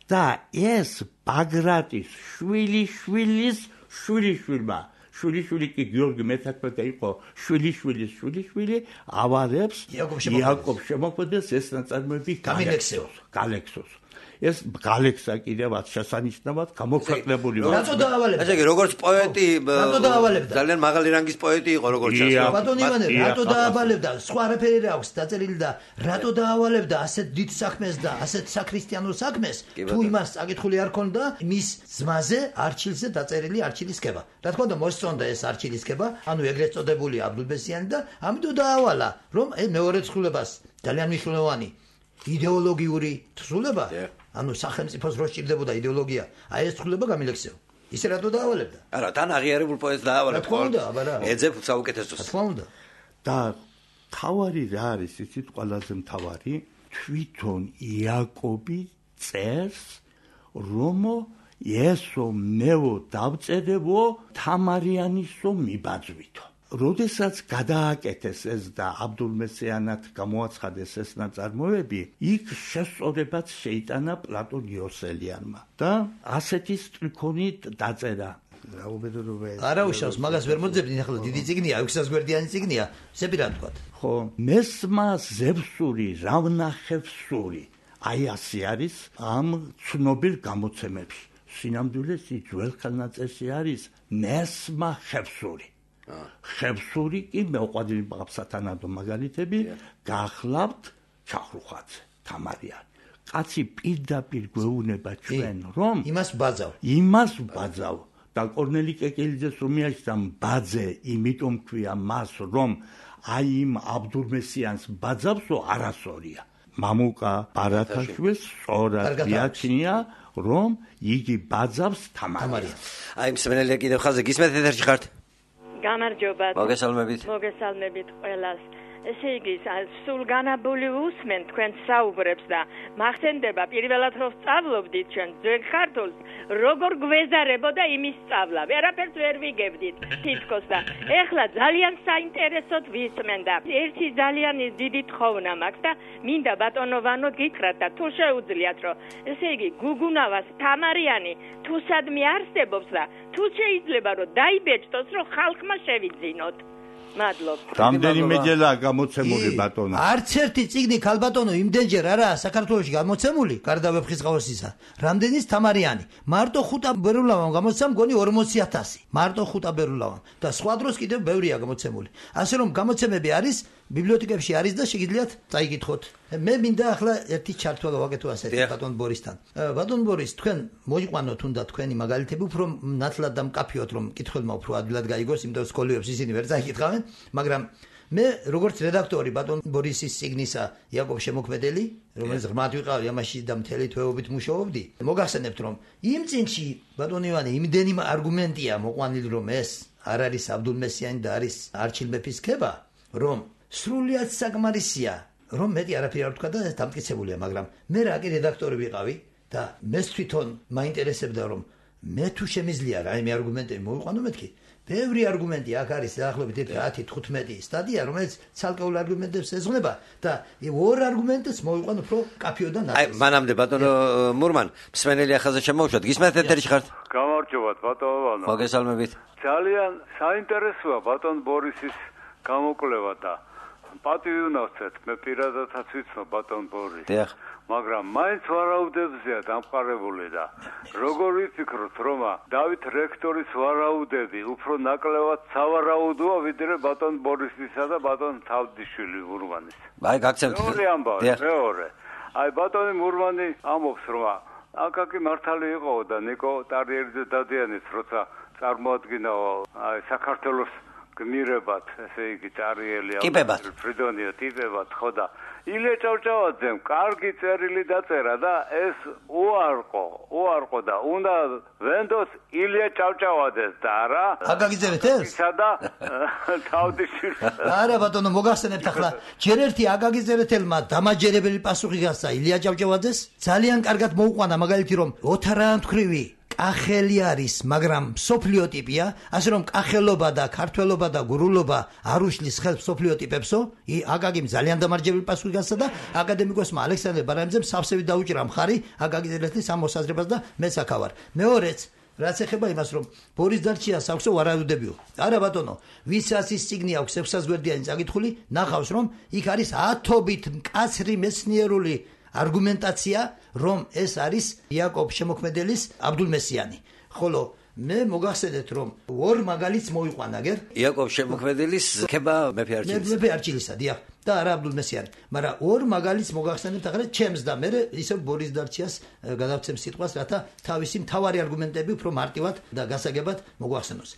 და ეს ბაგრატის შვილი შვილის შვილი შვილმა შვილი შვილი კი გიორგი მეთერთმეტე იყო შვილი შვილის შვილი შვილი ავარებს იაკობ შემოქმედებელს ეს ნაწარმოები გამილექსეოს გალექსოს. ეს გალექსა კიდევაც შესანიშნავად გამოქვეყნებული. რატო დაავალებდა? ესე იგი როგორც პოეტი ძალიან მაღალი რანგის პოეტი იყო როგორც ჩანს. ბატონო ივანე, რატო დაავალებდა? სხვა არაფერი რა აქვს დაწერილი და რატო დაავალებდა ასეთ დიდ საქმეს და ასეთ საქრისტიანო საქმეს? თუ იმას წაკითხული არ ქონდა მის ძმაზე არჩილზე დაწერილი არჩილისკება. რა თქმა უნდა მოსწონდა ეს არჩილისკება, ანუ ეგრეთ წოდებული აბდულბესიანი და ამიტომ დაავალა, რომ მეორე თხზულებას ძალიან მნიშვნელოვანი იდეოლოგიური თხზულება ანუ სახელმწიფოს რო სჭირდებოდა იდეოლოგია, აი ეს თხზულება გამილექსეო. ისე რატო დაავალებდა? არა, თან აღიარებულ პოეტს დაავალებდა. რა თქმა უნდა, აბა რა. ეძებ საუკეთესოს. რა თქმა უნდა. და თავარი რა არის, იცით ყველაზე მთავარი, თვითონ იაკობი წერს, რომ ესო მეო დავწერებო თამარიანისო მიბაძვითო. როდესაც გადააკეთეს ეს და აბდულმესიანად გამოაცხადეს ეს ნაწარმოები, იქ შესწორებაც შეიტანა პლატონ იოსელიანმა და ასეთი სტრიქონით დაწერა. არა უშავს, მაგას ვერ მოძებნით, ახლა დიდი წიგნია, ექვსას გვერდიანი წიგნია, ზეპირად თქვა. ხო, მესმა ზევსური, რავნახევსური. აი ასე არის ამ ცნობილ გამოცემებში. სინამდვილეში ძველ ხელნაწერში არის მესმა ხევსური. ხევსური კი მეუყვადილი ბაბსათანადო მაგალითები გახლავთ ჩახრუხაძე, თამარიანი. კაცი პირდაპირ გვეუბნება ჩვენ, რომ იმას ბაძავ. იმას ბაძავ და კორნელი კეკელიძეს რომ მიაჩნდა ბაძე, იმიტომ ქვია მას, რომ აი იმ აბდულმესიანს ბაძავსო არასორია. მამუკა ბარათაშვილს სწორად მიაჩნია, რომ იგი ბაძავს თამარიანს. აი მსმენელია კიდევ ხაზე გისმენთ ეთერში ხართ? გამარჯობა. მოგესალმებით. მოგესალმებით ყველას. ესე იგი, სულ განაბული უსმენ თქვენ საუბრებს და მახსენდება პირველად რომ სწავლობდით ჩვენ ძველ ქართულს, როგორ გვეზარებოდა იმის სწავლა. ვერაფერს ვერ ვიგებდით თითქოს და ეხლა ძალიან საინტერესოდ ვისმენ და ერთი ძალიან დიდი თხოვნა მაქვს და მინდა ბატონო ვანო გითხრათ და თუ შეუძლიათ რომ ესე იგი გუგუნავას თამარიანი თუ სადმე არსებობს და თუ შეიძლება რომ დაიბეჭდოს რომ ხალხმა შევიძინოთ. მადლობ. რამდენიმეჯერაა გამოცემული ბატონო? არც ერთი წიგნი ქალბატონო იმდენჯერ არაა საქართველოში გამოცემული, გარდა ვეფხისტყაოსისა. რამდენის თამარიანი? მარტო ხუთა ბერულავამ გამოცემ მგონი ორმოცი ათასი. მარტო ხუთა ბერულავამ და სხვა დროს კიდევ ბევრია გამოცემული. ასე რომ გამოცემები არის, ბიბლიოთეკებში არის და შეგიძლიათ წაიკითხოთ. მე მინდა ახლა ერთი ჩართვა გავაკეთო ასეთი ბატონ ბორისთან. ბატონ ბორის, თქვენ მოიყვანოთ უნდა თქვენი მაგალითები, უფრო ნათლად და მკაფიოდ რომ მკითხველმა უფრო ადვილად გაიგოს, იმიტომ რომ სკოლიებს ისინი ვერ წაიკითხავენ, მაგრამ მე როგორც რედაქტორი ბატონ ბორისის წიგნისა იაკობ შემოქმედელი, რომელიც ღრმად ვიყავი ამაში და მთელი თვეობით მუშაობდი, მოგახსენებთ რომ იმ წიგნში ბატონ ივანე იმდენი არგუმენტია მოყვანილი რომ ეს არ არის აბდულმესიანი და არის არჩილ მეფის ქება, რომ სრულიად საკმარისია, რომ მეტი არაფერი არ თქვა და ეს დამტკიცებულია, მაგრამ მე რა კი რედაქტორი ვიყავი და მე თვითონ მაინტერესებდა რომ მე თუ შემიძლია რა იმ არგუმენტები მოვიყვანო მეთქი, ბევრი არგუმენტი აქ არის დაახლოებით ათი თხუთმეტი სტადია, რომელიც ცალკეულ არგუმენტებს ეძღვნება და ორ არგუმენტს მოვიყვან უფრო კაფიოდან აი, მანამდე ბატონო მურმან, მსმენელი ახალზე შემოვუშვათ. გისმენთ ეთერში ხართ? გამარჯობათ ბატონო. მოგესალმებით. ძალიან საინტერესოა ბატონ ბორისის გამოკვლევა და პატივი უნავსეთ, მე პირადადაც ვიცნობ ბატონ ბორისს. დიახ. მაგრამ მაინც ვარაუდებზეა დამყარებული და როგორ ვიფიქროთ, რომ დავით რექტორის ვარაუდები უფრო ნაკლებად სავარაუდოა ვიდრე ბატონ ბორისისა და ბატონ თავდიშვილი მურმანის. აი, გაგცემთ. მეორე ამბავი, მეორე. აი, ბატონი მურმანი ამბობს, რომ აკაკი მართალი იყო და ნიკო ტარიერიძე დადიანის როცა წარმოადგინა აი საქართველოს გმირებად, ესე იგი ტარიელი ფრიდონიო ტიპებად ხო და ილია ჭავჭავაძემ კარგი წერილი დაწერა და ეს უარყო, უარყო და უნდა ვენდოს ილია ჭავჭავაძეს და არა აკაკიძერეთ ეს? სადა თავდიშვილი. არა ბატონო, მოგახსენებთ ახლა ჯერ ერთი აკაკიძერეთელმა დამაჯერებელი პასუხი გასცა ილია ჭავჭავაძეს. ძალიან კარგად მოუყვანა მაგალითი რომ ოთარაანთქვრივი კახელი არის, მაგრამ სოფლიო ტიპია, ასე რომ კახელობა და ქართველობა და გურულობა არ უშლის ხელს სოფლიო ტიპებსო. აკაკიმ ძალიან დამარჯვებული პასუხი გასცა და აკადემიკოსმა ალექსანდრე ბარანიძემ სავსებით დაუჭირა მხარი აკაკიძერეთის ამ მოსაზრებას და მეც აქ ავარ. მეორეც რაც ეხება იმას რომ ბორის დარჩიას აქვსო ვარაუდებიო. არა ბატონო, ვისაც ის წიგნი აქვს ექვსი საათი გვერდიანი წაკითხული, ნახავს რომ იქ არის ათობით მკაცრი მეცნიერული არგუმენტაცია, რომ ეს არის იაკობ შემოქმეделის აბდულმესიანი. ხოლო მე მოგახსენეთ რომ ორ მაგალითს მოვიყვანა გერ იაკობ შემოქმეdelis ხება მეფე არჩილისა. მეფე არჩილისა, დიახ, და არა აბდულმესიანი. მაგრამ ორ მაგალითს მოგახსენეთ ახლა ჩემს და მე ისე ბორის დარჩიას გადავცემ სიტყვას, რათა თავისი მთავარი არგუმენტები უფრო მარტივად და გასაგებად მოგვახსენოს.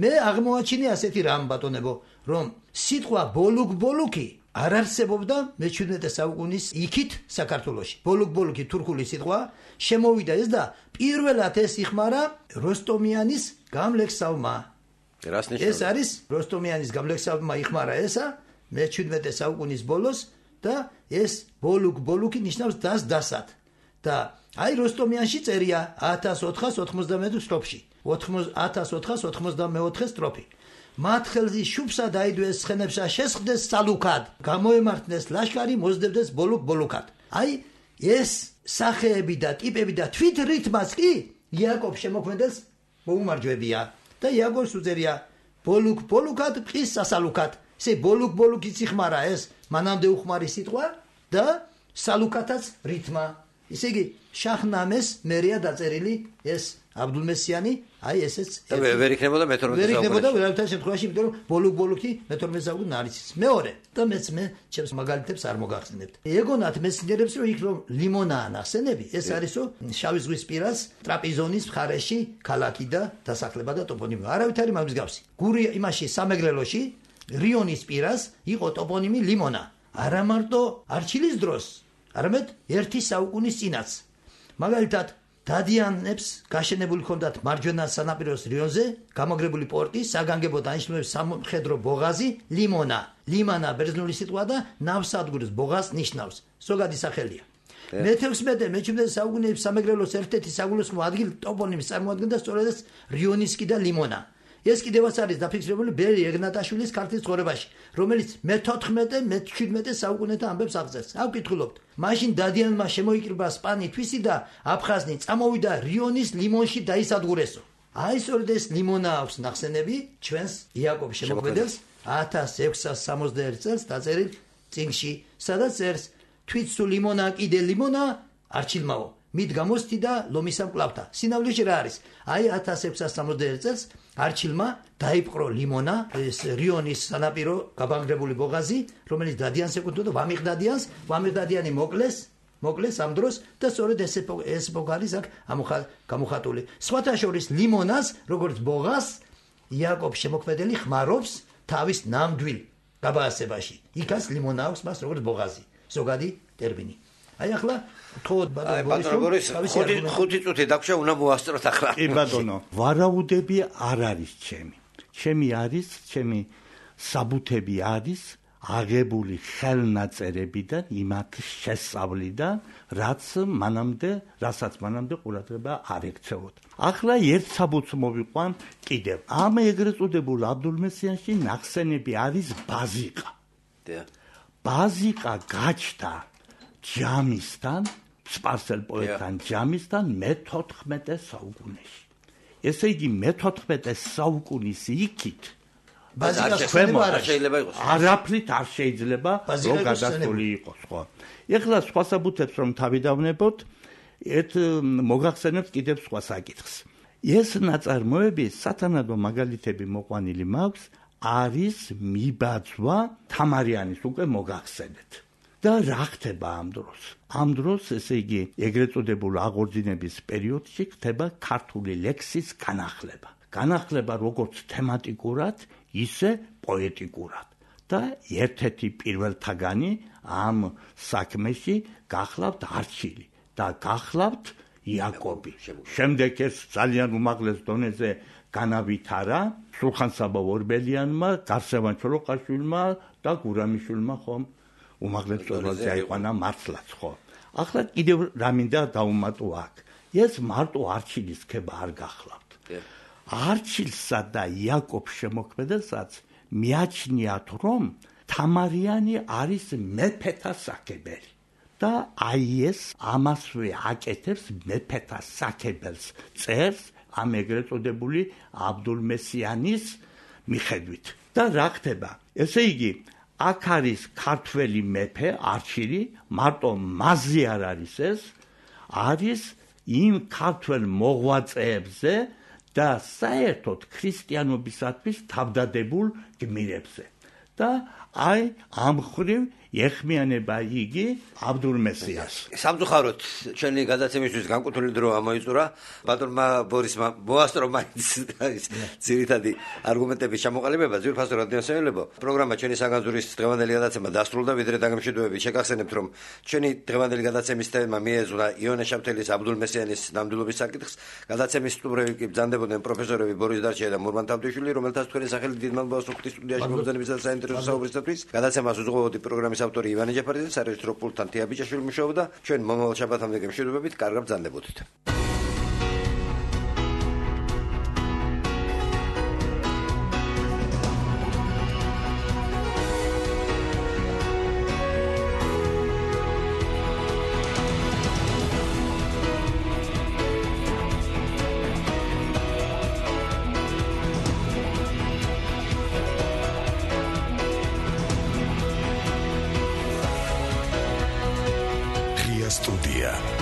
მე აღმოაჩინე ასეთი რამ ბატონებო, რომ სიტყვა ბოლუკ-ბოლუკი არ არსებობდა მეჩვიდმეტე საუკუნის იქით საქართველოში. ბოლუკ-ბოლუკი თურქული სიტყვა, შემოვიდა ეს და პირველად ეს იხმარა როსტომიანის გამლექსავმა. რას ნიშნავს? ეს არის როსტომიანის გამლექსავმა იხმარა ესა მეჩვიდმეტე საუკუნის ბოლოს და ეს ბოლუკ-ბოლუკი ნიშნავს დას დასად. და აი როსტომიანში წერია ათას ოთხას ოცდამეოთხე სტროფში. ათას ოთხას ოცდამეოთხე სტროფი. მათ ხელზე შუბსა დაიდვეს ცხენებსა შესხდეს სალუქად, გამოემართნეს ლაშქარი, მოსდებდეს ბოლუკ-ბოლუკად. აი ეს სახეები და ტიპები და თვით რითმაც კი იაკობ შემოქმედელს მოუმარჯვებია და იაკობს უწერია ბოლუკ-ბოლუკად ყის სასალუქად. ესე ბოლუკ-ბოლუკიც იხმარა ეს მანამდე უხმარი სიტყვა და სალუქათაც რითმა. ისე იგი შაჰნამეს მერია დაწერილი ეს აბდულმესიანი, აი ესეც ვერ იქნებოდა მეთორმეტე საუკუნეში. ვერ იქნებოდა ვერავითარ შემთხვევაში, იმიტომ რომ ბოლუკ-ბოლუკი მეთორმეტე საუკუნე არის. მეორე და მეც მე ჩემს მაგალითებს არ მოგახსენებთ. ეგონათ მეცნიერებს რომ იქ რომ ლიმონაა ნახსენები, ეს არისო შავი ზღვის პირას ტრაპიზონის მხარეში ქალაქი და დასახლება და ტოპონიმი. არავითარი მაგის გავსი. გური იმაში სამეგრელოში რიონის პირას იყო ტოპონიმი ლიმონა. არა მარტო არჩილის დროს, არამედ ერთი საუკუნის წინაც. მაგალითად დადიანებს გაშენებული ჰქონდათ მარჯვენა სანაპიროს რიონზე გამაგრებული პორტი, საგანგებო დანიშნულების სამხედრო ბოღაზი, ლიმონა. ლიმანა ბერძნული სიტყვა და ნავსადგურის ბოღას ნიშნავს. ზოგადი სახელია. მეთექვსმეტე მეჩვიდმეტე საუკუნეების სამეგრელოს ერთ-ერთი საგულისხმო ადგილი ტოპონიმის წარმოადგენდა სწორედ რიონისკი და ლიმონა. ეს კიდევაც არის დაფიქსირებული ბერი ეგნატაშვილის ქართლის ცხოვრებაში, რომელიც მეთოთხმეტე მეჩვიდმეტე საუკუნეთა ამბებს აღწერს. აუ კითხულობთ, მაშინ დადიანმა შემოიკრიბა სპანი თვისი და აფხაზნი წამოვიდა რიონის ლიმონში დაისადგურესო. აი სწორედ ეს ლიმონა აქვს ნახსენები ჩვენს იაკობ შემოქმედელს ათას ექვსას სამოცდაერთი წელს დაწერილ წიგნში, სადაც წერს თვით სულ ლიმონა კიდე ლიმონა არჩილმაო. მით გამოსთი და ლომისა მკლავთა. სინამდვილეში რა არის? აი ათას ექვსას სამოცდაერთი წელს არჩილმა დაიპყრო ლიმონა, ეს რიონის სანაპირო გაბანგრებული ბოღაზი, რომელიც დადიანს ეკუთვნოდა, ვამიღ დადიანს, ვამიღ დადიანი მოკლეს, მოკლეს ამ დროს და სწორედ ეს ეს ბოღაზი არის აქ გამოხატული. სხვათა შორის ლიმონას, როგორც ბოღას, იაკობ შემოქმედელი ხმარობს თავის ნამდვილ გაბაასებაში. იქაც ლიმონა აქვს მას როგორც ბოღაზი. ზოგადი ტერმინი. აი ახლა თქო ბატონო ბორის ხუთი წუთი დაგვრჩა, უნდა მოასწროთ ახლა. კი ბატონო, ვარაუდები არ არის ჩემი. ჩემი არის, ჩემი საბუთები არის აგებული ხელნაწერებიდან, იმათ შესწავლიდან, რაც მანამდე, რასაც მანამდე ყურადღება არ ექცეოდა. ახლა ერთ საბუთს მოვიყვან კიდევ. ამ ეგრეთ წოდებულ აბდულმესიანში ნახსენები არის ბაზიკა. ბაზიკა გაჩნდა ჯამისთან, სპარსელ პოეტთან ჯამისთან მეთოთხმეტე საუკუნეში. ესე იგი მეთოთხმეტე საუკუნის იქით ბაზიკას შეიძლება იყოს. არაფრით არ შეიძლება რომ გადასული იყოს, ხო? ეხლა სხვა საბუთებს რომ თავიდავნებოთ, ერთ მოგახსენებთ კიდევ სხვა საკითხს. ეს ნაწარმოები სათანადო მაგალითები მოყვანილი მაქვს, არის მიბაძვა თამარიანის უკვე მოგახსენეთ. და რა ხდება ამ დროს? ამ დროს, ესე იგი, ეგრეთ წოდებულ აღორძინების პერიოდში ხდება ქართული ლექსის განახლება. განახლება როგორც თემატიკურად, ისე პოეტიკურად. და ერთ-ერთი პირველთაგანი ამ საქმეში გახლავთ არჩილი და გახლავთ იაკობი. შემდეგ ეს ძალიან უმაღლეს დონეზე განავითარა სულხან-საბა ორბელიანმა, გარსევან ჩოლოყაშვილმა და გურამიშვილმა ხომ უმაღლეს დონეზე აიყვანა მართლაც, ხო? ახლა კიდევ რა მინდა დავუმატო აქ. ეს მარტო არჩილის ქება არ გახლავთ. არჩილსა და იაკობს შემოქმედებსაც მიაჩნიათ, რომ თამარიანი არის მეფეთა საკებელი. და აი ეს ამასვე აკეთებს მეფეთა საკებელს წერს ამ ეგრეთ წოდებული აბდულმესიანის მიხედვით. და რა ხდება? ესე იგი, აქ არის ქართველი მეფე არჩილი, მარტო მასზე არ არის ეს, არის იმ ქართველ მოღვაწეებზე და საერთოდ ქრისტიანობისათვის თავდადებულ გმირებზე. და აი ამ ხრივ ეხმიანება იგი აბდულმესიას. სამწუხაროდ ჩვენი გადაცემისთვის განკუთვნილი დრო ამოიწურა. ბატონმა ბორისმა მოასწრო მაინც ძირითადი არგუმენტების ჩამოყალიბება. ძვირფასო რადიოსმენელებო, პროგრამა ჩვენი საგანძურის დღევანდელი გადაცემა დასრულდა. ვიდრე დაგემშვიდობებით, შეგახსენებთ, რომ ჩვენი დღევანდელი გადაცემის თემა მიეძღვნა იონე შავთელის აბდულმესიანის ნამდვილობის საკითხს. გადაცემის სტუმრები კი ბრძანდებოდნენ პროფესორები ბორის დარჩია და მურმან თავდიშვილი, რომელთაც თქვენი სახელი დიდ მადლობას ვუხდით სტუდიაში მომბრძანებისა და საინტერესო საუბრისათვის. გადაცემას უძღვებოდი პროგრამის ავტორი ივანე ჯაფარიძე, სარეჟისორო პულტთან თია ბიჭაშვილი მუშაობდა. ჩვენ მომავალ შაბათამდე გემშვიდობებით, კარგად ბრძანდებოდით. Студия.